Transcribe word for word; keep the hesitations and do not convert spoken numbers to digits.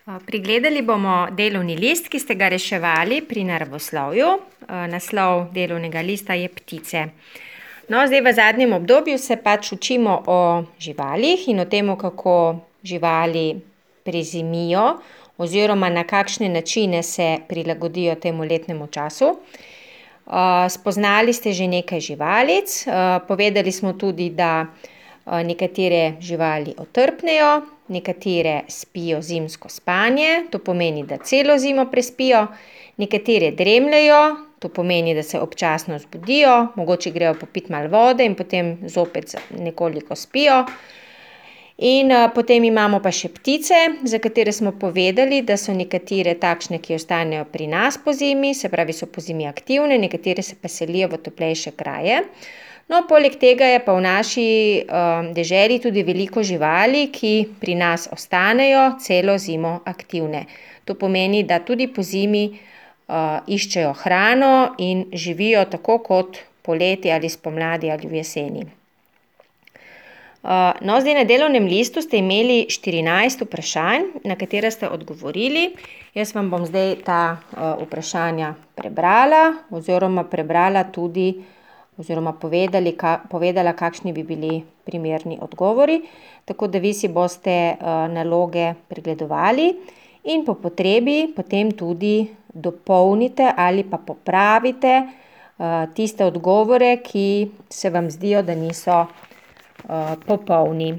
Pregledali bomo delovni list, ki ste ga reševali pri naravoslovju. Naslov delovnega lista je Ptice. No, zdaj v zadnjem obdobju se pač učimo o živalih in o tem, kako živali prezimijo oziroma na kakšne načine se prilagodijo temu letnemu času. Spoznali ste že nekaj živalic, povedali smo tudi, da nekatere živali otrpnejo, nekatere spijo zimsko spanje, to pomeni, da celo zimo prespijo, nekatere dremljajo, to pomeni, da se občasno zbudijo, mogoče grejo popiti malo vode in potem zopet nekoliko spijo. In potem imamo pa še ptice, za katere smo povedali, da so nekatere takšne, ki ostanejo pri nas po zimi, se pravi, so po zimi aktivne, nekatere se pa selijo v toplejše kraje. No, poleg tega je pa v naši deželi tudi veliko živali, ki pri nas ostanejo celo zimo aktivne. To pomeni, da tudi po zimi iščejo hrano in živijo tako kot poleti ali spomladi ali v jeseni. No, zdaj na delovnem listu ste imeli štirinajst vprašanj, na katera ste odgovorili. Jaz vam bom zdaj ta vprašanja prebrala oziroma prebrala tudi oziroma povedali, povedala, kakšni bi bili primerni odgovori, tako da vi si boste naloge pregledovali in po potrebi potem tudi dopolnite ali pa popravite tiste odgovore, ki se vam zdijo, da niso popolni.